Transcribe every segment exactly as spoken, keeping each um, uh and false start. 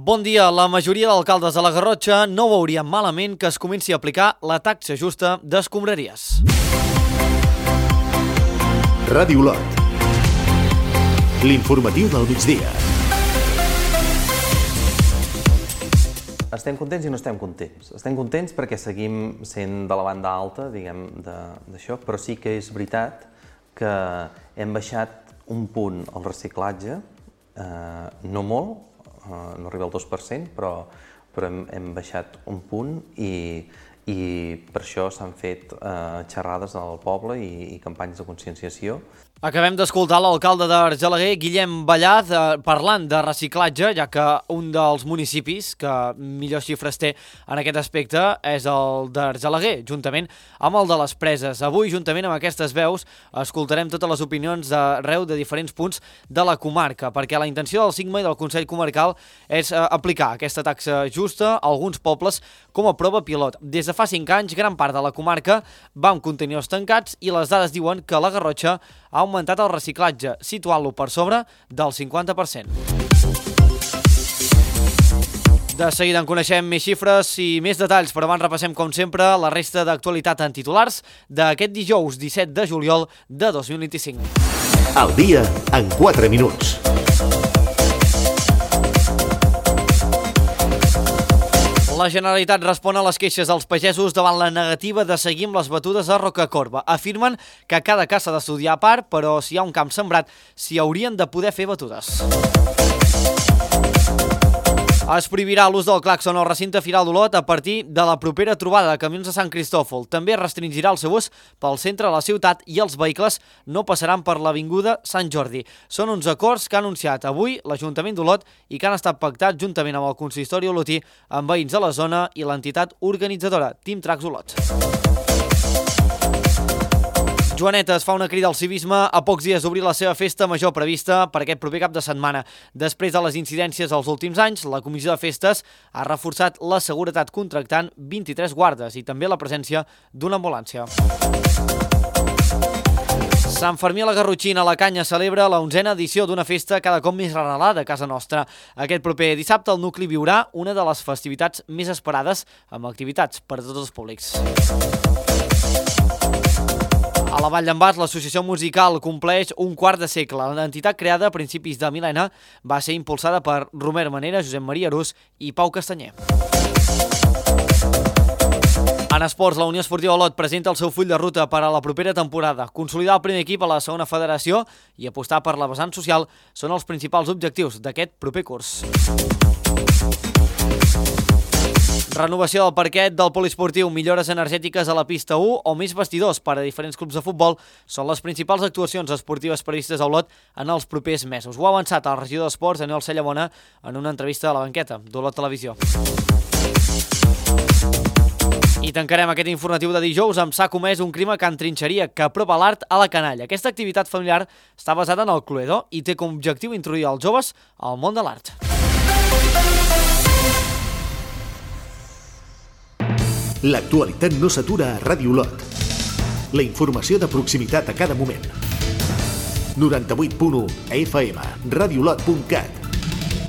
Bon dia. La majoria d'alcaldes de la Garrotxa no veurien malament que es comenci a aplicar la taxa justa d'escombraries. Ràdio Olot. L'informatiu del migdia. Estem contents i no estem contents. Estem contents perquè seguim sent de la banda alta, diguem, d'això, però sí que és veritat que hem baixat un punt al reciclatge, eh, no molt, Uh, no arriba al dos per cent, però, però hem, hem baixat un punt i, i per això s'han fet uh, xerrades al poble i, i campanyes de conscienciació. Acabem d'escoltar l'alcalde d'Argelaguer, Guillem Ballaz, parlant de reciclatge, ja que un dels municipis que millors xifres té en aquest aspecte és el d'Argelaguer, juntament amb el de les Preses. Avui, juntament amb aquestes veus, escoltarem totes les opinions d'arreu de diferents punts de la comarca, perquè la intenció del SIGMA i del Consell Comarcal és aplicar aquesta taxa justa a alguns pobles com a prova pilot. Des de fa cinc anys, gran part de la comarca va amb contenidors tancats i les dades diuen que la Garrotxa ha augmentat el reciclatge, situant-lo per sobre del cinquanta per cent. De seguida en coneixem més xifres i més detalls, però abans repassem, com sempre, la resta d'actualitat en titulars d'aquest dijous disset de juliol de dos mil vint-i-cinc. Al dia en quatre minuts. La Generalitat respon a les queixes dels pagesos davant la negativa de seguir amb les batudes a Rocacorba. Afirmen que cada cas s'ha d'estudiar a part, però si hi ha un camp sembrat, s'hi haurien de poder fer batudes. Es prohibirà l'ús del clàxon al recinte Firal d'Olot a partir de la propera trobada de camions de Sant Cristòfol. També restringirà el seu ús pel centre de la ciutat i els vehicles no passaran per l'avinguda Sant Jordi. Són uns acords que ha anunciat avui l'Ajuntament d'Olot i que han estat pactats juntament amb el consistori olotí, amb veïns de la zona i l'entitat organitzadora Team Tracks Olot. Joanetes fa una crida al civisme a pocs dies d'obrir la seva festa major prevista per aquest proper cap de setmana. Després de les incidències dels últims anys, la Comissió de Festes ha reforçat la seguretat contractant vint-i-tres guardes i també la presència d'una ambulància. Sant Fermí a la Garrotxina, la Canya celebra la onzena edició d'una festa cada cop més arrelada a casa nostra. Aquest proper dissabte el nucli viurà una de les festivitats més esperades amb activitats per a tots els públics. A la Vall d'en Bas, l'associació musical compleix un quart de segle. L'entitat creada a principis de mil·lenni va ser impulsada per Romer Manera, Josep Maria Arús i Pau Castanyer. En esports, la Unió Esportiva Olot presenta el seu full de ruta per a la propera temporada. Consolidar el primer equip a la segona federació i apostar per la vessant social són els principals objectius d'aquest proper curs. Renovació del parquet del poliesportiu, millores energètiques a la pista u o més vestidors per a diferents clubs de futbol són les principals actuacions esportives previstes a Olot en els propers mesos. Ho ha avançat el regidor d'Esports, Daniel Cellamona, en una entrevista a la banqueta d'Olot Televisió. I tancarem aquest informatiu de dijous amb s'ha comès un crim a Can Trinxeria que apropa l'art a la canalla. Aquesta activitat familiar està basada en el Cluedo i té com a objectiu introduir els joves al món de l'art. L'actualitat no s'atura a Ràdio Olot. La informació de proximitat a cada moment. noranta-vuit punt u a F M, radiolot punt cat,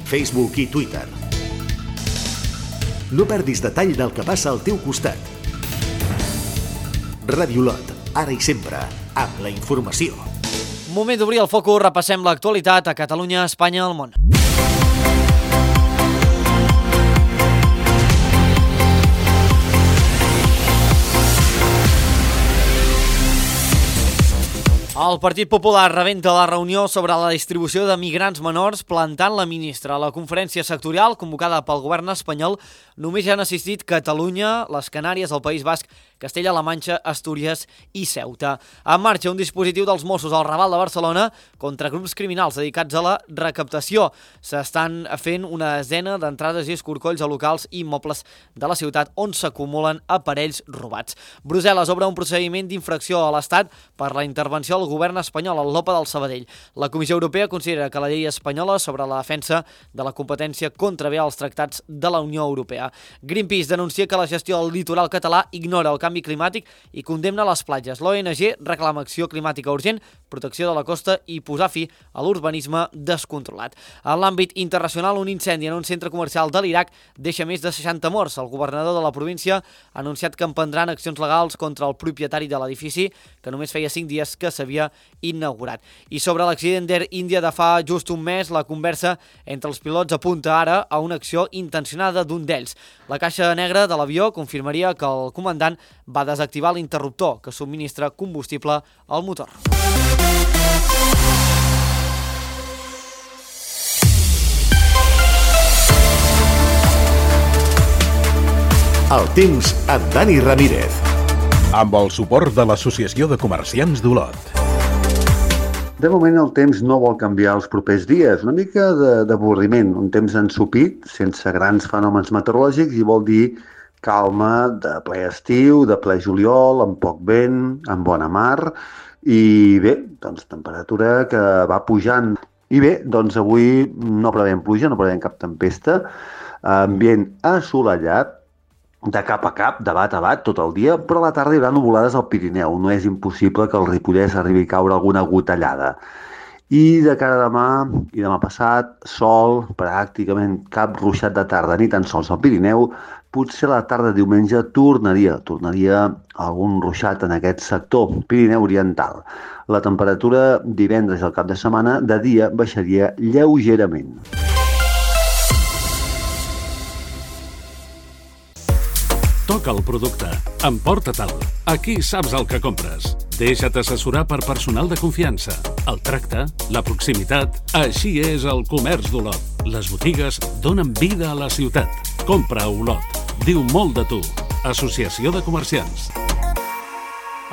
Facebook i Twitter. No perdis detall del que passa al teu costat. Ràdio Olot, ara i sempre, amb la informació. Moment d'obrir el focus, repassem l'actualitat a Catalunya, Espanya i el món. El Partit Popular rebenta la reunió sobre la distribució de migrants menors plantant la ministra. A la conferència sectorial convocada pel govern espanyol només hi han assistit Catalunya, les Canàries, el País Basc, Castella-La Manxa, Astúries i Ceuta. En marxa un dispositiu dels Mossos al Raval de Barcelona contra grups criminals dedicats a la recaptació. S'estan fent una desena d'entrades i escorcolls a locals i immobles de la ciutat on s'acumulen aparells robats. Brussel·les obre un procediment d'infracció a l'Estat per la intervenció al govern govern espanyol, el Lopa del Sabadell. La Comissió Europea considera que la llei espanyola sobre la defensa de la competència contravé als tractats de la Unió Europea. Greenpeace denuncia que la gestió del litoral català ignora el canvi climàtic i condemna les platges. L'O N G reclama acció climàtica urgent, protecció de la costa i posar fi a l'urbanisme descontrolat. En l'àmbit internacional, un incendi en un centre comercial de l'Iraq deixa més de seixanta morts. El governador de la província ha anunciat que emprendran accions legals contra el propietari de l'edifici, que només feia cinc dies que s'havia inaugurat. I sobre l'accident d'Air India de fa just un mes, la conversa entre els pilots apunta ara a una acció intencionada d'un d'ells. La caixa negra de l'avió confirmaria que el comandant va desactivar l'interruptor que subministra combustible al motor. El temps amb Dani Ramírez. Amb el suport de l'Associació de Comerciants d'Olot. De moment el temps no vol canviar els propers dies, una mica d'avorriment, un temps ensopit, sense grans fenòmens meteorològics, i vol dir calma de ple estiu, de ple juliol, amb poc vent, amb bona mar, i bé, doncs temperatura que va pujant. I bé, doncs avui no prevem pluja, no prevem cap tempesta, ambient assolellat, de cap a cap, de bat a bat, tot el dia, però a la tarda hi haurà nuvolades al Pirineu. No és impossible que al Ripollès arribi a caure alguna gotellada. I de cara a demà i demà passat, sol, pràcticament cap ruixat de tarda, ni tan sols al Pirineu. Potser a la tarda de diumenge tornaria, tornaria algun ruixat en aquest sector, Pirineu Oriental. La temperatura divendres al cap de setmana de dia baixaria lleugerament. Toca el producte, emporta-te'l. Aquí saps el que compres. Deixa't assessorar per personal de confiança. El tracte, la proximitat, així és el comerç d'Olot. Les botigues donen vida a la ciutat. Compra a Olot. Diu molt de tu. Associació de Comerciants.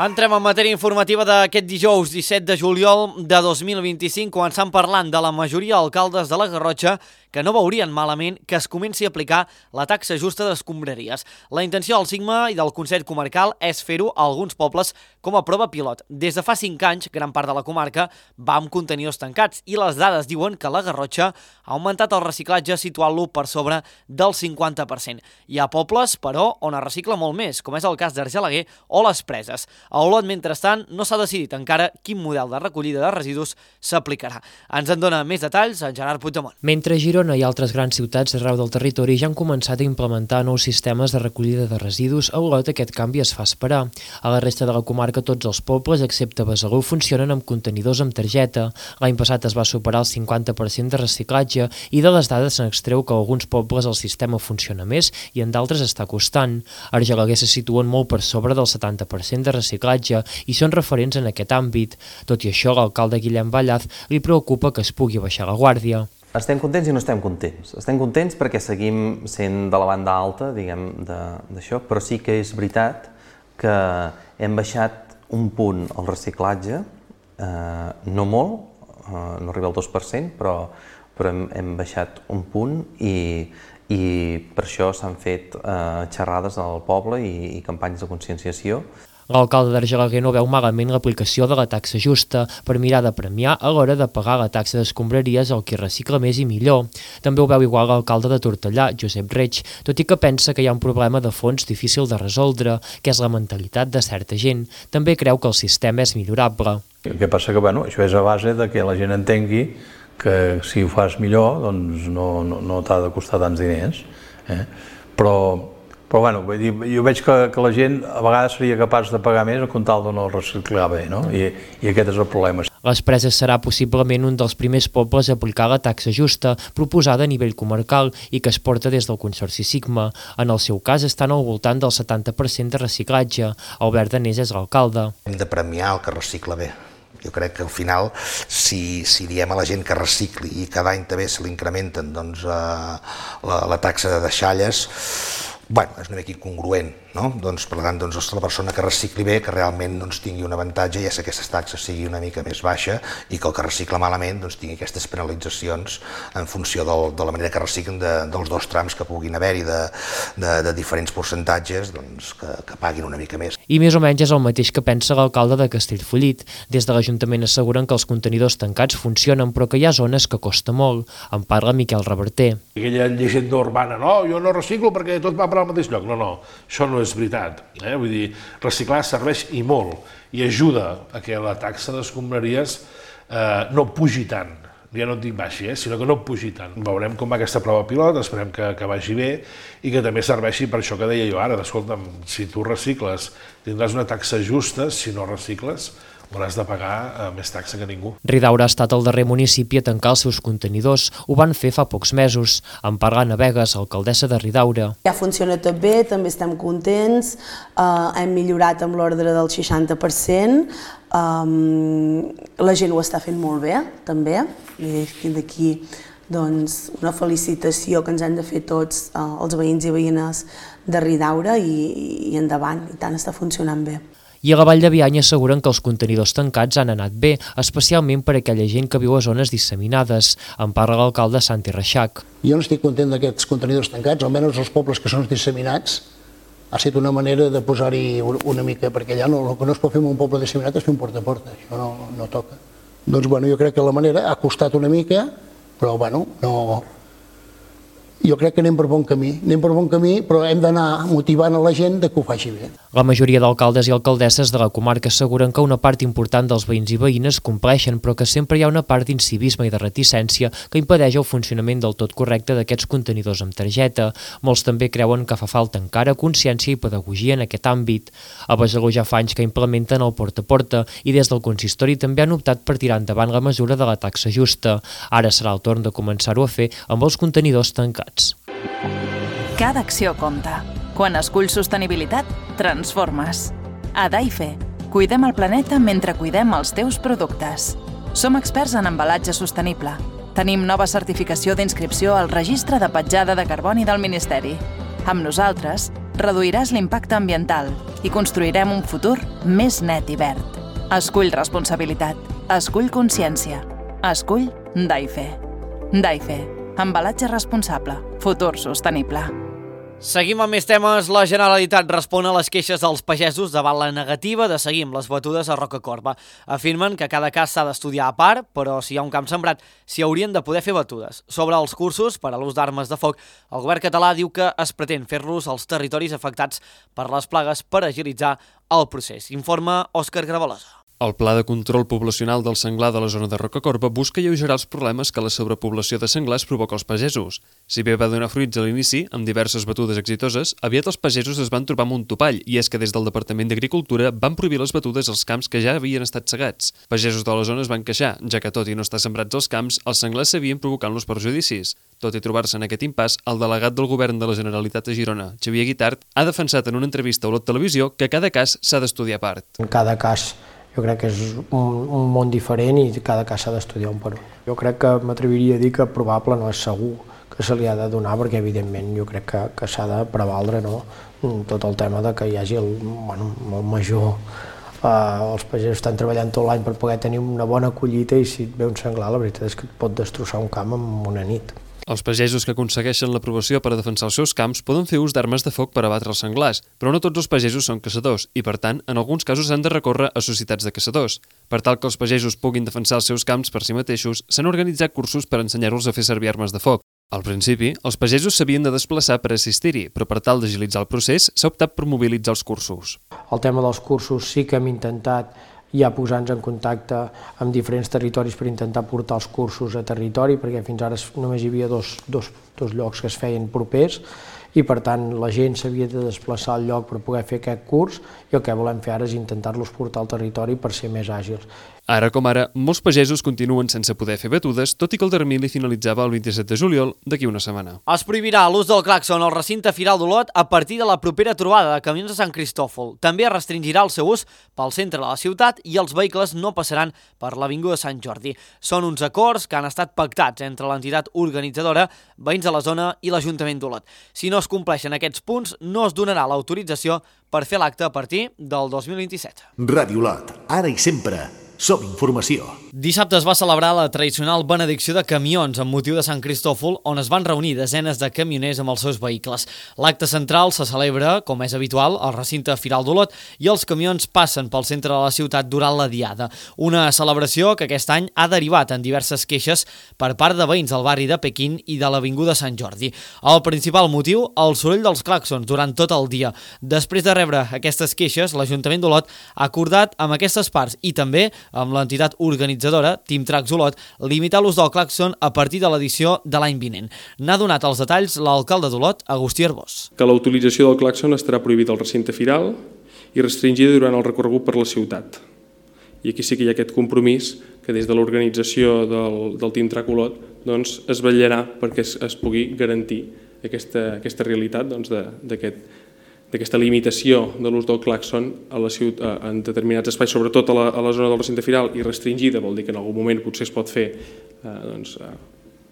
Entrem en matèria informativa d'aquest dijous disset de juliol de dos mil vint-i-cinc, començant parlant de la majoria d'alcaldes de la Garrotxa que no veurien malament que es comenci a aplicar la taxa justa d'escombraries. La intenció del Sigma i del Consell Comarcal és fer-ho a alguns pobles com a prova pilot. Des de fa cinc anys, gran part de la comarca va amb contenidors tancats i les dades diuen que la Garrotxa ha augmentat el reciclatge situant-lo per sobre del cinquanta per cent. Hi ha pobles, però, on es recicla molt més, com és el cas d'Argelaguer o les Preses. A Olot, mentrestant, no s'ha decidit encara quin model de recollida de residus s'aplicarà. Ens en dona més detalls en Gerard Puigdemont. Mentre Girona i altres grans ciutats arreu del territori ja han començat a implementar nous sistemes de recollida de residus, a Olot aquest canvi es fa esperar. A la resta de la comarca tots els pobles, excepte Besalú, funcionen amb contenidors amb targeta. L'any passat es va superar el cinquanta per cent de reciclatge i de les dades se n'extreu que a alguns pobles el sistema funciona més i en d'altres està costant. Argelaguer se situen molt per sobre del setanta per cent de reciclatge i són referents en aquest àmbit. Tot i això, l'alcalde Guillem Ballaz li preocupa que es pugui baixar la guàrdia. Estem contents i no estem contents. Estem contents perquè seguim sent de la banda alta, diguem, d'això, però sí que és veritat que hem baixat un punt el reciclatge, eh, no molt, eh, no arriba al dos per cent, però, però hem, hem baixat un punt i, i per això s'han fet eh, xerrades al poble i, i campanyes de conscienciació. L'alcalde d'Argelaguer no veu malament l'aplicació de la taxa justa per mirar de premiar a l'hora de pagar la taxa d'escombraries al qui recicla més i millor. També ho veu igual l'alcalde de Tortellà, Josep Reig, tot i que pensa que hi ha un problema de fons difícil de resoldre, que és la mentalitat de certa gent. També creu que el sistema és millorable. El que passa que bueno, això és a base de que la gent entengui que si ho fas millor doncs no, no, no t'ha de costar tants diners. Eh? Però Però bueno, vull dir, jo veig que, que la gent a vegades seria capaç de pagar més amb tal de no reciclar bé, no? I, i aquest és el problema. Les Preses serà possiblement un dels primers pobles a aplicar la taxa justa proposada a nivell comarcal i que es porta des del Consorci Sigma. En el seu cas estan al voltant del setanta per cent de reciclatge. Albert Danés és l'alcalde. Hem de premiar el que recicla bé. Jo crec que al final, si, si diem a la gent que recicli i cada any també se l'incrementen doncs, eh, la, la taxa de deixalles, bueno, és una mica incongruent, no? Doncs, per tant, doncs, la persona que recicli bé, que realment doncs, tingui un avantatge, ja que aquestes taxes sigui una mica més baixa, i que el que recicla malament doncs, tingui aquestes penalitzacions en funció del, de la manera que reciclen de, dels dos trams que puguin haver-hi de, de, de diferents percentatges, doncs, que, que paguin una mica més. I més o menys és el mateix que pensa l'alcalde de Castellfollit. Des de l'Ajuntament asseguren que els contenidors tancats funcionen, però que hi ha zones que costa molt. En parla Miquel Reverter. Aquella llegenda urbana, no, jo no reciclo perquè tot va per al mateix lloc. No, no, això no és veritat. Eh? Vull dir, reciclar serveix i molt, i ajuda a que la taxa d'escombraries eh, no pugi tant. Ja no et dic baixi, eh, sinó que no pugi tant. Veurem com va aquesta prova pilot, esperem que, que vagi bé i que també serveixi per això que deia jo ara, escolta'm, si tu recicles tindràs una taxa justa, si no recicles hauràs de pagar eh, més taxa que ningú. Ridaura ha estat el darrer municipi a tancar els seus contenidors. Ho van fer fa pocs mesos. En parla Anna Vegas, alcaldessa de Ridaura. Ja funciona tot bé, també estem contents, eh, hem millorat amb l'ordre del seixanta per cent, um, la gent ho està fent molt bé, també, i d'aquí doncs, una felicitació que ens hem de fer tots eh, els veïns i veïnes de Ridaura i, i endavant, i tant està funcionant bé. I a la Vall de Bianya asseguren que els contenidors tancats han anat bé, especialment per a aquella gent que viu a zones disseminades. En parla l'alcalde Santi Reixac. Jo no estic content d'aquests contenidors tancats, almenys els pobles que són disseminats. Ha estat una manera de posar-hi una mica, perquè allà no, el que no es pot fer en un poble disseminat és fer un porta a porta, això no, no toca. Doncs bueno, jo crec que la manera ha costat una mica, però bueno, no... Jo crec que anem per bon camí, anem per bon camí, però hem d'anar motivant a la gent de que ho faci bé. La majoria d'alcaldes i alcaldesses de la comarca asseguren que una part important dels veïns i veïnes compleixen, però que sempre hi ha una part d'incivisme i de reticència que impedeix el funcionament del tot correcte d'aquests contenidors amb targeta. Molts també creuen que fa falta encara consciència i pedagogia en aquest àmbit. A Besalú ja fa anys que implementen el porta a porta i des del consistori també han optat per tirar endavant la mesura de la taxa justa. Ara serà el torn de començar-ho a fer amb els contenidors tancats. Cada acció compta. Quan esculls sostenibilitat, transformes. A Daife, cuidem el planeta mentre cuidem els teus productes. Som experts en embalatge sostenible. Tenim nova certificació d'inscripció al Registre de Petjada de Carboni del Ministeri. Amb nosaltres, reduiràs l'impacte ambiental i construirem un futur més net i verd. Escull responsabilitat. Escull consciència. Escull Daife. Daife. Embalatge responsable. Futur sostenible. Seguim amb més temes. La Generalitat respon a les queixes dels pagesos davant la negativa de seguir amb les batudes a Rocacorba. Afirmen que cada cas s'ha d'estudiar a part, però si hi ha un camp sembrat, s'hi haurien de poder fer batudes. Sobre els cursos per a l'ús d'armes de foc, el govern català diu que es pretén fer-los als territoris afectats per les plagues per agilitzar el procés. Informa Òscar Gravalosa. El Pla de Control Poblacional del Senglar de la zona de Rocacorba busca alleugerar els problemes que la sobrepoblació de senglars provoca als pagesos. Si bé va donar fruits a l'inici, amb diverses batudes exitoses, aviat els pagesos es van trobar amb un topall, i és que des del Departament d'Agricultura van prohibir les batudes als camps que ja havien estat segats. Pagesos de la zona es van queixar, ja que tot i no estar sembrats als camps, els senglars s'havien provocant-los perjudicis. Tot i trobar-se en aquest impàs, el delegat del govern de la Generalitat a Girona, Xavier Guitart, ha defensat en una entrevista a Olot Televisió que cada cas s'ha d'estudiar a part. En cada cas jo crec que és un, un món diferent i cada cas s'ha d'estudiar un per un. Jo crec que m'atreviria a dir que probable no és segur que se li ha de donar, perquè evidentment jo crec que, que s'ha de prevaldre, no? Tot el tema de que hi hagi el, bueno, el major... Eh, els pagesos estan treballant tot l'any per poder tenir una bona collita i si et ve un senglar la veritat és que et pot destrossar un camp en una nit. Els pagesos que aconsegueixen l'aprovació per a defensar els seus camps poden fer ús d'armes de foc per abatre els senglars, però no tots els pagesos són caçadors i, per tant, en alguns casos han de recórrer a societats de caçadors. Per tal que els pagesos puguin defensar els seus camps per si mateixos, s'han organitzat cursos per ensenyar-los a fer servir armes de foc. Al principi, els pagesos s'havien de desplaçar per assistir-hi, però per tal d'agilitzar el procés s'ha optat per mobilitzar els cursos. El tema dels cursos sí que hem intentat ja posar-nos en contacte amb diferents territoris per intentar portar els cursos a territori, perquè fins ara només hi havia dos, dos, dos llocs que es feien propers i per tant la gent s'havia de desplaçar al lloc per poder fer aquest curs i el que volem fer ara és intentar-los portar al territori per ser més àgils. Ara com ara, molts pagesos continuen sense poder fer batudes, tot i que el termini finalitzava el vint-i-set de juliol d'aquí una setmana. Es prohibirà l'ús del clàxon al recinte firal d'Olot a partir de la propera trobada de camions de Sant Cristòfol. També es restringirà el seu ús pel centre de la ciutat i els vehicles no passaran per l'avinguda Sant Jordi. Són uns acords que han estat pactats entre l'entitat organitzadora, veïns de la zona i l'Ajuntament d'Olot. Si no es compleixen aquests punts, no es donarà l'autorització per fer l'acte a partir del dos mil vint-i-set. Ràdio Lot, ara i sempre, som informació. Dissabte es va celebrar la tradicional benedicció de camions amb motiu de Sant Cristòfol, on es van reunir desenes de camioners amb els seus vehicles. L'acte central se celebra, com és habitual, al recinte Firal d'Olot i els camions passen pel centre de la ciutat durant la diada. Una celebració que aquest any ha derivat en diverses queixes per part de veïns del barri de Pequín i de l'Avinguda Sant Jordi. El principal motiu, el soroll dels clàxons durant tot el dia. Després de rebre aquestes queixes, l'Ajuntament d'Olot ha acordat amb aquestes parts i també amb l'entitat organitzadora, Team Tracks Olot, limitar l'ús del clàxon a partir de l'edició de l'any vinent. N'ha donat els detalls l'alcalde d'Olot, Agustí Arbós. Que la utilització del clàxon estarà prohibida al recinte firal i restringida durant el recorregut per la ciutat. I aquí sí que hi ha aquest compromís que des de l'organització del, del Team Track Olot doncs, es vetllarà perquè es, es pugui garantir aquesta, aquesta realitat doncs, d'aquest d'aquesta limitació de l'ús del clàxon a la ciutat, en determinats espais, sobretot a la, a la zona del recinte firal, i restringida, vol dir que en algun moment potser es pot fer eh, doncs, eh,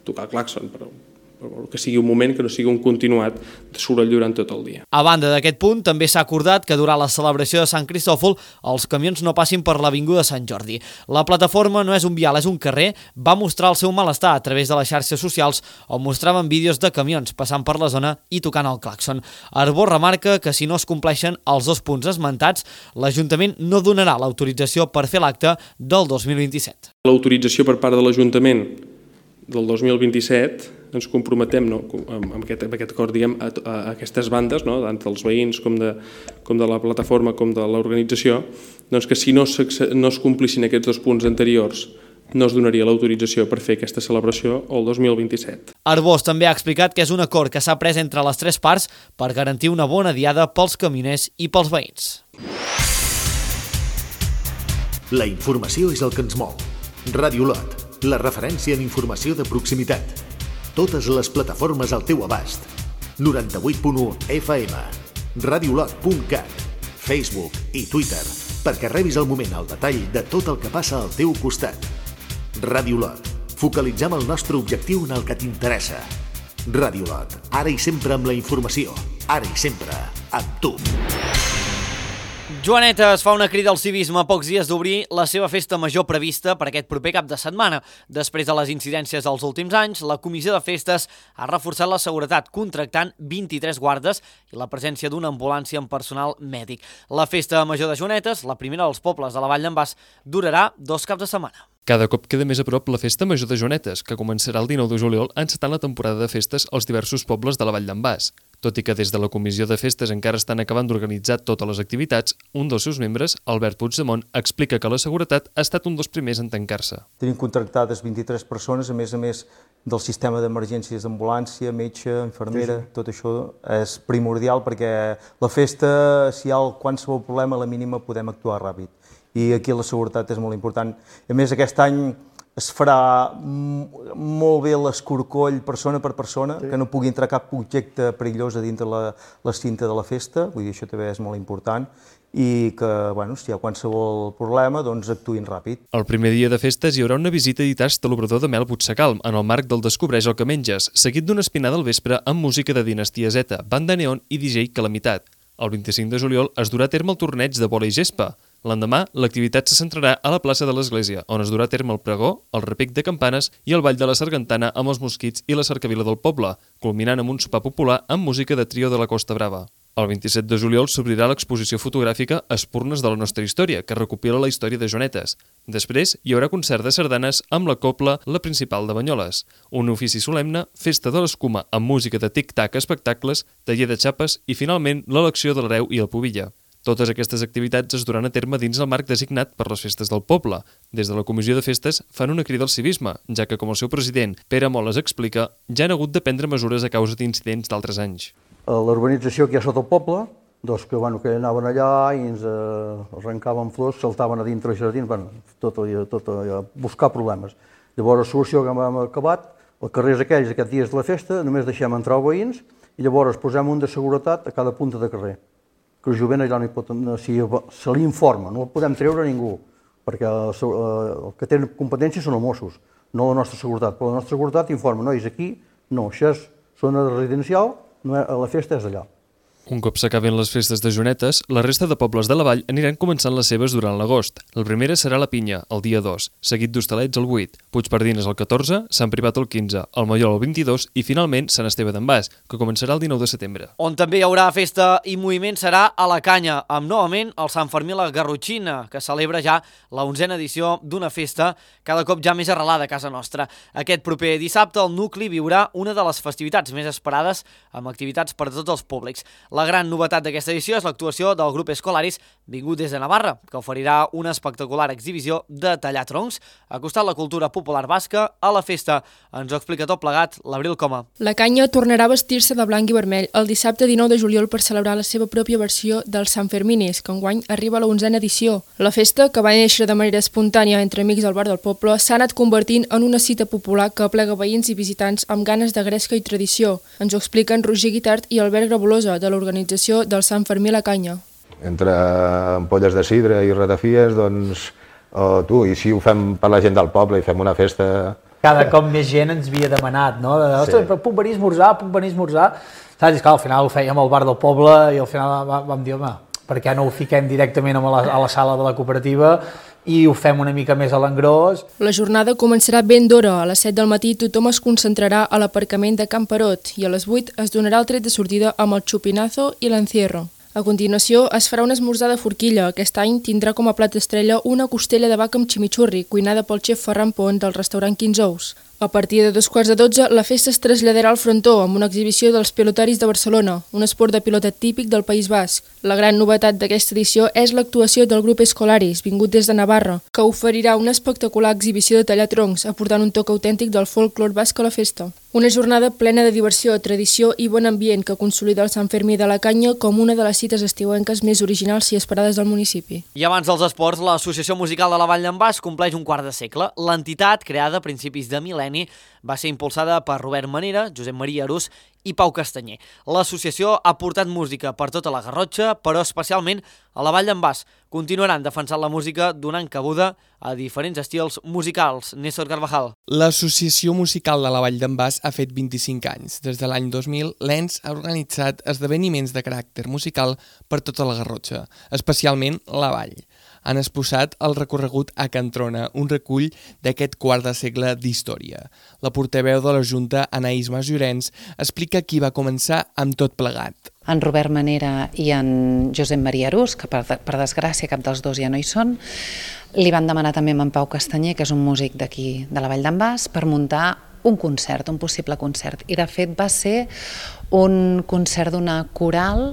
tocar el clàxon, però, però que sigui un moment, que no sigui un continuat de soroll durant tot el dia. A banda d'aquest punt, també s'ha acordat que durant la celebració de Sant Cristòfol els camions no passin per l'Avinguda Sant Jordi. La plataforma no és un vial, és un carrer, va mostrar el seu malestar a través de les xarxes socials on mostraven vídeos de camions passant per la zona i tocant el clàxon. Arbós remarca que si no es compleixen els dos punts esmentats, l'Ajuntament no donarà l'autorització per fer l'acte del dos mil vint-i-set. L'autorització per part de l'Ajuntament del dos mil vint-i-set ens comprometem no, amb, aquest, amb aquest acord diguem, a, a aquestes bandes, no, tant dels veïns com de, com de la plataforma com de l'organització, doncs que si no, no es complissin aquests dos punts anteriors no es donaria l'autorització per fer aquesta celebració el dos mil vint-i-set. Arbós també ha explicat que és un acord que s'ha pres entre les tres parts per garantir una bona diada pels camioners i pels veïns. La informació és el que ens mou. Ràdio Lot, la referència en informació de proximitat. Totes les plataformes al teu abast. noranta-vuit punt u F M, radiolot punt cat, Facebook i Twitter, perquè rebis al moment el detall de tot el que passa al teu costat. Ràdio Lot, focalitzem el nostre objectiu en el que t'interessa. Ràdio Lot, ara i sempre amb la informació, ara i sempre amb tu. Joaneta es fa una crida al civisme a pocs dies d'obrir la seva festa major prevista per aquest proper cap de setmana. Després de les incidències dels últims anys, la Comissió de Festes ha reforçat la seguretat contractant vint-i-tres guardes i la presència d'una ambulància amb personal mèdic. La festa major de Joanetes, la primera dels pobles de la Vall d'en Bas, durarà dos caps de setmana. Cada cop queda més a prop la Festa Major de Joanetes, que començarà el dinou de juliol encetant la temporada de festes als diversos pobles de la Vall d'en Bas. Tot i que des de la Comissió de Festes encara estan acabant d'organitzar totes les activitats, un dels seus membres, Albert Puigdemont, explica que la seguretat ha estat un dels primers en tancar-se. Tenim contractades vint-i-tres persones, a més a més del sistema d'emergències d'ambulància, metge, infermera, sí, sí. Tot això és primordial perquè la festa, si hi ha qualsevol problema, a la mínima podem actuar ràpid. I aquí la seguretat és molt important. A més, aquest any es farà molt bé l'escorcoll persona per persona, sí. Que no pugui entrar cap objecte perillós a dintre la, la cinta de la festa, vull dir, això també és molt important, i que, bueno, si hi ha qualsevol problema, doncs actuïn ràpid. El primer dia de festes hi haurà una visita i tast de l'obrador de mel Puigsecalm, en el marc del Descobreix el que menges, seguit d'una espinada al vespre amb música de Dinastia Z, banda neon i D J Calamitat. El vint-i-cinc de juliol es durà a terme el torneig de vòlei gespa. L'endemà, l'activitat se centrarà a la plaça de l'Església, on es durà a terme el pregó, el repic de campanes i el ball de la Sargantana amb els mosquits i la cercavila del poble, culminant amb un sopar popular amb música de trio de la Costa Brava. El vint-i-set de juliol s'obrirà l'exposició fotogràfica Espurnes de la nostra història, que recopila la història de Joanetes. Després hi haurà concert de sardanes amb la cobla La Principal de Banyoles, un ofici solemne, festa de l'escuma amb música de tic-tac, espectacles, taller de xapes i, finalment, l'elecció de l'hereu i el pubilla. Totes aquestes activitats es duran a terme dins el marc designat per les festes del poble. Des de la Comissió de Festes fan una crida al civisme, ja que, com el seu president, Pere Moles, explica, ja han hagut de prendre mesures a causa d'incidents d'altres anys. L'urbanització que hi ha sota el poble, doncs que, bueno, que anaven allà i ens eh, arrencaven flors, saltaven a dintre els jardins, bueno, tot, tot allò, buscar problemes. Llavors, la solució que hem acabat, els carrers aquells, aquests dies de la festa, només deixem entrar els veïns i llavors posem un de seguretat a cada punta de carrer. Que el jovent allà no hi pot, no, si se li informa, no el podem treure a ningú, perquè el, el que tenen competències són els Mossos, no la nostra seguretat, però la nostra seguretat informa, nois, aquí no, això és zona residencial la festa és d'allò. Un cop s'acaben les festes de Jonetes, la resta de pobles de la vall aniran començant les seves durant l'agost. La primera serà la Pinya, el dia dos, seguit d'Hostalets el vuit, Puigpardines el catorze, Sant Privat el quinze, el Mallol el vint-i-dos i finalment Sant Esteve d'en Bas, que començarà el dinou de setembre. On també hi haurà festa i moviment serà a la Canya, amb novament el Sant Fermí a la Garrotxina, que celebra ja la onzena edició d'una festa cada cop ja més arrelada a casa nostra. Aquest proper dissabte el nucli viurà una de les festivitats més esperades amb activitats per a tots els públics. La gran novetat d'aquesta edició és l'actuació del grup Escolaris vingut des de Navarra, que oferirà una espectacular exhibició de tallar troncs, acostant la cultura popular basca a la festa. Ens ho explica tot plegat l'Abril Coma. La Canya tornarà a vestir-se de blanc i vermell el dissabte dinou de juliol per celebrar la seva pròpia versió del Sant Ferminis, que enguany arriba a la onzena edició. La festa, que va néixer de manera espontània entre amics al bar del poble, s'ha anat convertint en una cita popular que aplega veïns i visitants amb ganes de gresca i tradició. Ens ho expliquen Roger Guitart i Albert Grabolosa, de l'organització del Sant Fermí a la Canya. Entre ampolles de sidre i ratafies, doncs, oh, tu, i si ho fem per la gent del poble i fem una festa... Cada cop més gent ens havia demanat, no? Ostres, sí. Puc venir a esmorzar, puc venir a esmorzar... Saps? I clar, al final ho fèiem al bar del poble i al final vam dir, home, per què no ho fiquem directament a la, a la sala de la cooperativa i ho fem una mica més a l'engròs. La jornada començarà ben d'hora. A les set del matí tothom es concentrarà a l'aparcament de Can Perot i a les vuit es donarà el tret de sortida amb el chupinazo i l'encierro. A continuació es farà un esmorzar de forquilla. Aquest any tindrà com a plat estrella una costella de vaca amb chimichurri, cuinada pel xef Ferran Pont del restaurant quinze ous. A partir de dos quarts de dotze, la festa es traslladarà al frontó amb una exhibició dels pilotaris de Barcelona, un esport de pilota típic del País Basc. La gran novetat d'aquesta edició és l'actuació del grup Escolaris, vingut des de Navarra, que oferirà una espectacular exhibició de tallar troncs, aportant un toc autèntic del folklore basc a la festa. Una jornada plena de diversió, tradició i bon ambient que consolida el Sant Fermí de la Canya com una de les cites estiuenques més originals i esperades del municipi. I abans dels esports, l'Associació Musical de la Vall d'en Bas compleix un quart de segle. L'entitat, creada a principis de mil·lenni, va ser impulsada per Robert Manera, Josep Maria Arús i Pau Castanyer. L'associació ha portat música per tota la Garrotxa, però especialment a la Vall d'en Bas. Continuaran defensant la música donant cabuda a diferents estils musicals. Néstor Carvajal. L'Associació Musical de la Vall d'en Bas ha fet vint-i-cinc anys. Des de l'any dos mil, l'E N S ha organitzat esdeveniments de caràcter musical per tota la Garrotxa, especialment la Vall. Han exposat el recorregut a Can Trona, un recull d'aquest quart de segle d'història. La portaveu de la Junta, Anaïs Mas Llorenç, explica qui va començar amb tot plegat. En Robert Manera i en Josep Maria Arús, que per, per desgràcia cap dels dos ja no hi són, li van demanar també amb en Pau Castanyer, que és un músic d'aquí de la Vall d'en Bas, per muntar un concert, un possible concert. I de fet va ser un concert d'una coral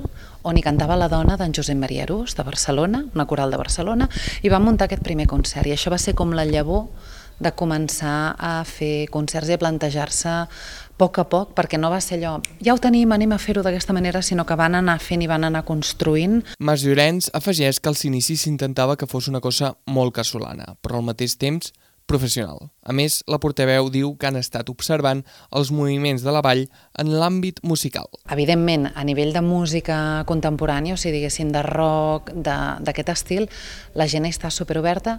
on hi cantava la dona d'en Josep Maria Arús, de Barcelona, una coral de Barcelona, i va muntar aquest primer concert. I això va ser com la llavor de començar a fer concerts i a plantejar-se a poc a poc, perquè no va ser allò, ja ho tenim, anem a fer-ho d'aquesta manera, sinó que van anar fent i van anar construint. Mas Llorenç afegeix que als inicis s'intentava que fos una cosa molt casolana, però al mateix temps professional. A més, la portaveu diu que han estat observant els moviments de la Vall en l'àmbit musical. Evidentment, a nivell de música contemporània, o sigui, diguéssim, de rock, d'aquest estil, la gent està superoberta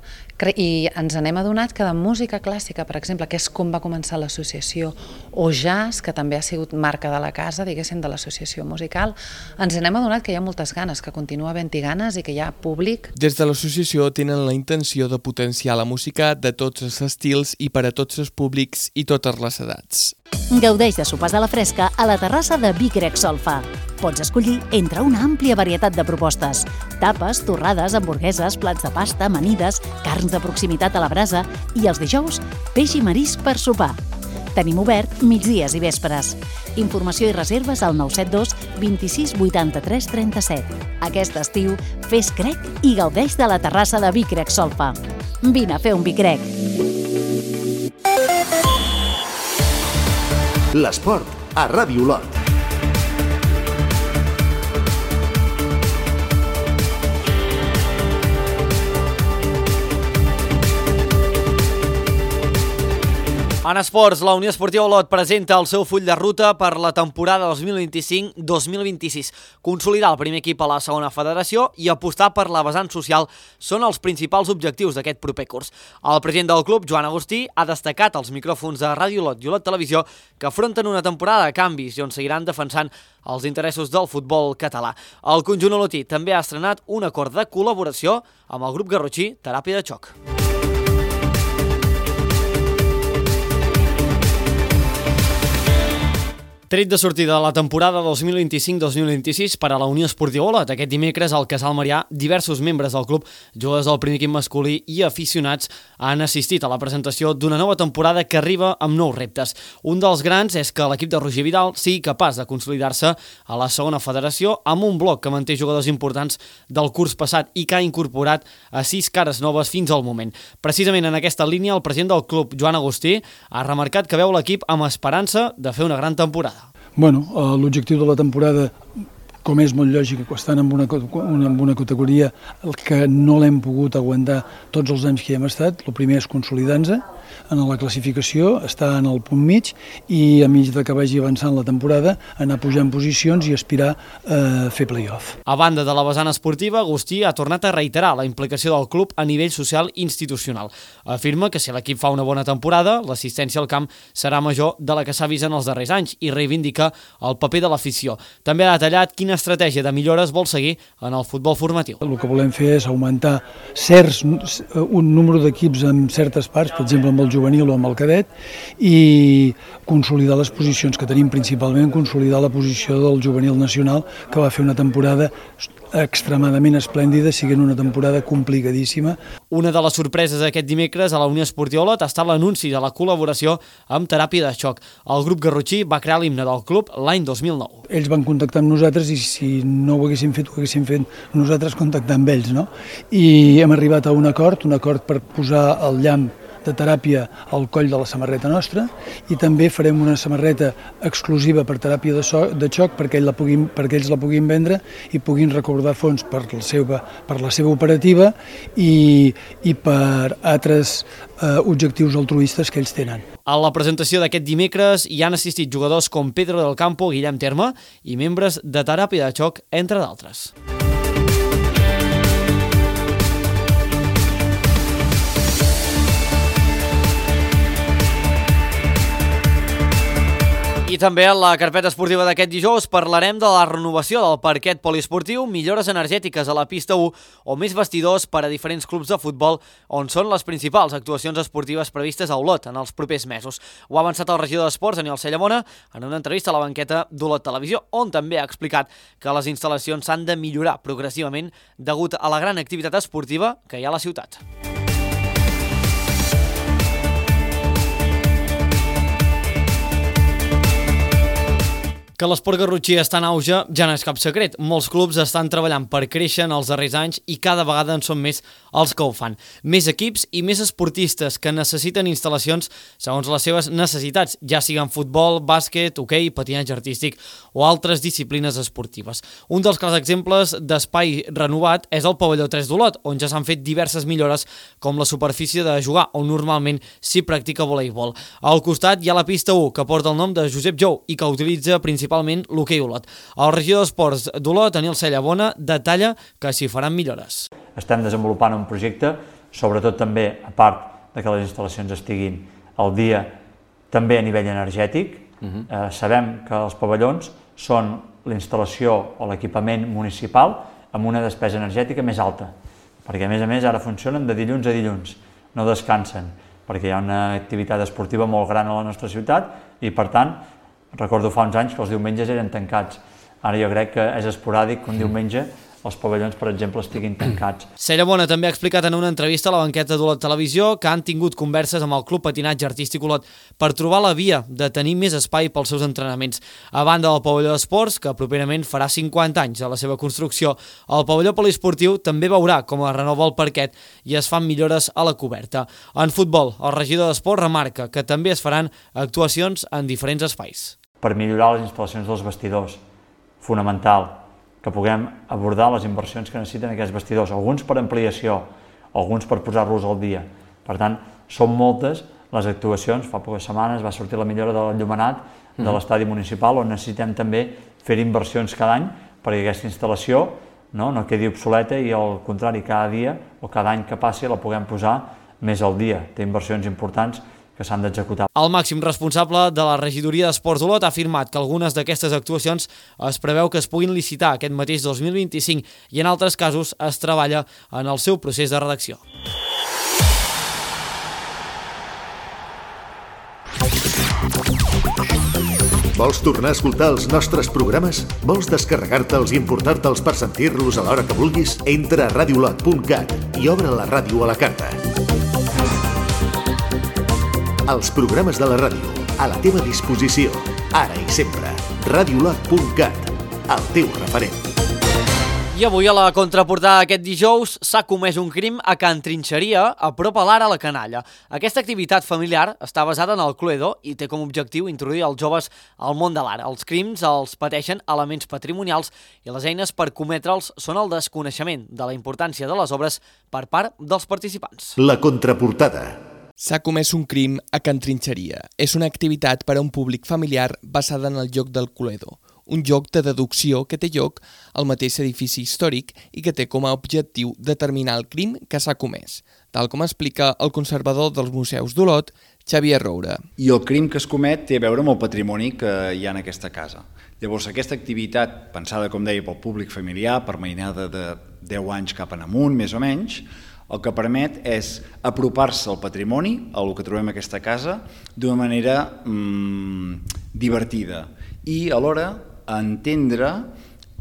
i ens n'hem adonat que de música clàssica, per exemple, que és com va començar l'associació, o jazz, que també ha sigut marca de la casa, diguéssim, de l'associació musical, ens n'hem adonat que hi ha moltes ganes, que continua havent-hi ganes i que hi ha públic. Des de l'associació tenen la intenció de potenciar la música de tots els estils i per a tots els públics i totes les edats. Gaudeix de sopars a la fresca a la terrassa de Vic Grec Solfa. Pots escollir entre una àmplia varietat de propostes. Tapes, torrades, hamburgueses, plats de pasta, amanides, carns de proximitat a la brasa i els dijous, peix i marisc per sopar. Tenim obert migdies i vespres. Informació i reserves al nou set dos vint-i-sis vuitanta-tres trenta-set. Aquest estiu, fes crec i gaudeix de la terrassa de Vic Grec Solfa. Vine a fer un Vic Grec. L'esport a Ràdio Olot. En esports, la Unió Esportiva Olot presenta el seu full de ruta per la temporada dos mil vint-i-cinc dos mil vint-i-sis. Consolidar el primer equip a la segona federació i apostar per la vessant social són els principals objectius d'aquest proper curs. El president del club, Joan Agustí, ha destacat als micròfons de Ràdio Olot i Olot Televisió que afronten una temporada de canvis i on seguiran defensant els interessos del futbol català. El conjunt olotí també ha estrenat un acord de col·laboració amb el grup garrotxí Teràpia de Xoc. Tret de sortida de la temporada dos mil vint-i-cinc dos mil vint-i-sis per a la Unió Esportiva Olot. Aquest dimecres al Casal Marià, diversos membres del club, jugadors del primer equip masculí i aficionats han assistit a la presentació d'una nova temporada que arriba amb nous reptes. Un dels grans és que l'equip de Roger Vidal sigui capaç de consolidar-se a la segona federació amb un bloc que manté jugadors importants del curs passat i que ha incorporat a sis cares noves fins al moment. Precisament en aquesta línia, el president del club, Joan Agustí, ha remarcat que veu l'equip amb esperança de fer una gran temporada. Bueno, l'objectiu de la temporada, com és molt lògic, estan en una, en una categoria que no l'hem pogut aguantar tots els anys que hi hem estat. El primer és consolidar-nos en la classificació, estar en el punt mig i a mig de que vagi avançant la temporada, anar pujant posicions i aspirar a fer play-off. A banda de la vessant esportiva, Agustí ha tornat a reiterar la implicació del club a nivell social i institucional. Afirma que si l'equip fa una bona temporada, l'assistència al camp serà major de la que s'ha vist en els darrers anys i reivindica el paper de l'afició. També ha detallat quina estratègia de millores vol seguir en el futbol formatiu. El que volem fer és augmentar certs, un número d'equips en certes parts, per exemple amb el juvenil o amb el cadet, i consolidar les posicions que tenim, principalment consolidar la posició del juvenil nacional, que va fer una temporada extremadament esplèndida, siguent una temporada complicadíssima. Una de les sorpreses aquest dimecres a la Unió Esportiva Olot ha estat l'anunci de la col·laboració amb Teràpia de Xoc. El grup garrotxí va crear l'himne del club l'any dos mil nou. Ells van contactar amb nosaltres i si no ho haguéssim fet, ho haguéssim fet nosaltres contactar amb ells, no? I hem arribat a un acord, un acord per posar el llamp de Teràpia al coll de la samarreta nostra i també farem una samarreta exclusiva per Teràpia de, so, de Xoc perquè, ell la puguin, perquè ells la puguin vendre i puguin recordar fons per la seva, per la seva operativa i, i per altres eh, objectius altruistes que ells tenen. A la presentació d'aquest dimecres hi han assistit jugadors com Pedro del Campo, Guillem Terme i membres de Teràpia de Xoc, entre d'altres. I també a la carpeta esportiva d'aquest dijous parlarem de la renovació del parquet poliesportiu, millores energètiques a la pista u o més vestidors per a diferents clubs de futbol on són les principals actuacions esportives previstes a Olot en els propers mesos. Ho ha avançat el regidor d'Esports, Daniel Cellamona, en una entrevista a la banqueta d'Olot Televisió, on també ha explicat que les instal·lacions s'han de millorar progressivament degut a la gran activitat esportiva que hi ha a la ciutat. Que l'esport garrotxí està en auge ja no és cap secret. Molts clubs estan treballant per créixer en els darrers anys i cada vegada en són més els que ho fan. Més equips i més esportistes que necessiten instal·lacions segons les seves necessitats, ja siguin futbol, bàsquet, hoquei, patinatge artístic o altres disciplines esportives. Un dels clars exemples d'espai renovat és el pavelló tres d'Olot, on ja s'han fet diverses millores com la superfície de jugar, on normalment s'hi practica voleibol. Al costat hi ha la pista u, que porta el nom de Josep Jou i que utilitza principalment principalment l'hoquei Olot. El regidor d'Esports d'Olot, Daniel Cellamona, detalla que s'hi faran millores. Estem desenvolupant un projecte, sobretot també, a part de que les instal·lacions estiguin al dia, també a nivell energètic. Uh-huh. eh, sabem que els pavellons són la instal·lació o l'equipament municipal amb una despesa energètica més alta, perquè a més a més ara funcionen de dilluns a dilluns, no descansen, perquè hi ha una activitat esportiva molt gran a la nostra ciutat i, per tant, recordo fa uns anys que els diumenges eren tancats. Ara jo crec que és esporàdic que un diumenge els pavellons, per exemple, estiguin tancats. Cellamona també ha explicat en una entrevista a la banqueta d'Olot Televisió que han tingut converses amb el Club Patinatge Artístic Olot per trobar la via de tenir més espai pels seus entrenaments. A banda del pavelló d'esports, que properament farà cinquanta anys de la seva construcció, el pavelló poliesportiu també veurà com es renova el parquet i es fan millores a la coberta. En futbol, el regidor d'Esports remarca que també es faran actuacions en diferents espais. Per millorar les instal·lacions dels vestidors, fonamental, que puguem abordar les inversions que necessiten aquests vestidors, alguns per ampliació, alguns per posar-los al dia. Per tant, són moltes les actuacions. Fa poques setmanes va sortir la millora de l'enllumenat de l'estadi municipal, on necessitem també fer inversions cada any perquè aquesta instal·lació no, no quedi obsoleta i al contrari, cada dia o cada any que passi la puguem posar més al dia. Té inversions importants que s'han d'executar. El màxim responsable de la regidoria d'Esports d'Olot ha afirmat que algunes d'aquestes actuacions es preveu que es puguin licitar aquest mateix dos mil vint-i-cinc i en altres casos es treballa en el seu procés de redacció. Vols tornar a escoltar els nostres programes? Vols descarregar-te'ls i importar-te'ls per sentir-los a l'hora que vulguis? Entra a radiolot punt cat i obre la ràdio a la carta. Els programes de la ràdio, a la teva disposició, ara i sempre. radiolot punt cat, el teu referent. I avui a la contraportada aquest dijous s'ha comès un crim a Can Trinxeria, a prop a l'Ara a la Canalla. Aquesta activitat familiar està basada en el Cluedo i té com a objectiu introduir els joves al món de l'art. Els crims els pateixen elements patrimonials i les eines per cometre'ls són el desconeixement de la importància de les obres per part dels participants. La contraportada. S'ha comès un crim a Can Trinxeria. És una activitat per a un públic familiar basada en el joc del Cluedo, un joc de deducció que té lloc al mateix edifici històric i que té com a objectiu determinar el crim que s'ha comès, tal com explica el conservador dels museus d'Olot, Xavier Roura. I el crim que es comet té a veure amb el patrimoni que hi ha en aquesta casa. Llavors, aquesta activitat, pensada, com deia, pel públic familiar, per mainada de deu anys cap en amunt, més o menys, el que permet és apropar-se al patrimoni, al que trobem en aquesta casa, d'una manera mmm, divertida i alhora entendre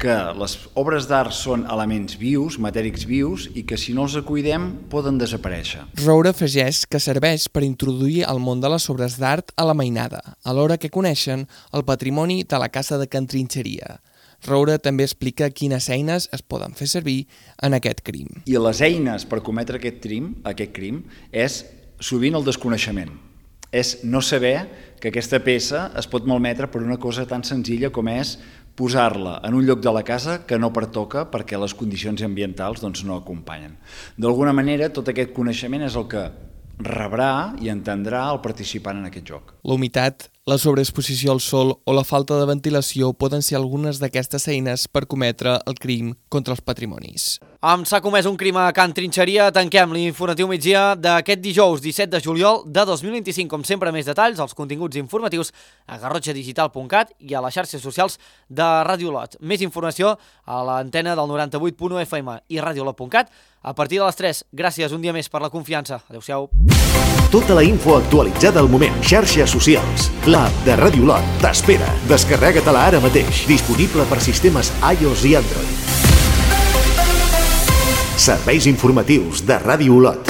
que les obres d'art són elements vius, matèrics vius, i que si no els cuidem poden desaparèixer. Roura afegeix que serveix per introduir el món de les obres d'art a la mainada, alhora que coneixen el patrimoni de la casa de Can Trinxeria. Roura també explica quines eines es poden fer servir en aquest crim. I les eines per cometre aquest crim, aquest crim és sovint el desconeixement. És no saber que aquesta peça es pot malmetre per una cosa tan senzilla com és posar-la en un lloc de la casa que no pertoca perquè les condicions ambientals doncs, no acompanyen. D'alguna manera, tot aquest coneixement és el que rebrà i entendrà el participant en aquest joc. La humitat, la sobreexposició al sol o la falta de ventilació poden ser algunes d'aquestes eines per cometre el crim contra els patrimonis. Amb s'ha comès un crim a Can Trinxeria, tanquem l'informatiu migdia d'aquest dijous disset de juliol de dos mil vint-i-cinc. Com sempre, més detalls als continguts informatius a garrotxa digital punt cat i a les xarxes socials de Ràdio Olot. Més informació a l'antena del noranta-vuit punt u F M i radiolot punt cat a partir de les tres. Gràcies un dia més per la confiança. Adéu-siau. Tota la info actualitzada al moment. Xarxes socials. L'app de Ràdio Olot t'espera. Descarrega-te-la ara mateix. Disponible per sistemes iOS i Android. Serveis informatius de Ràdio Olot.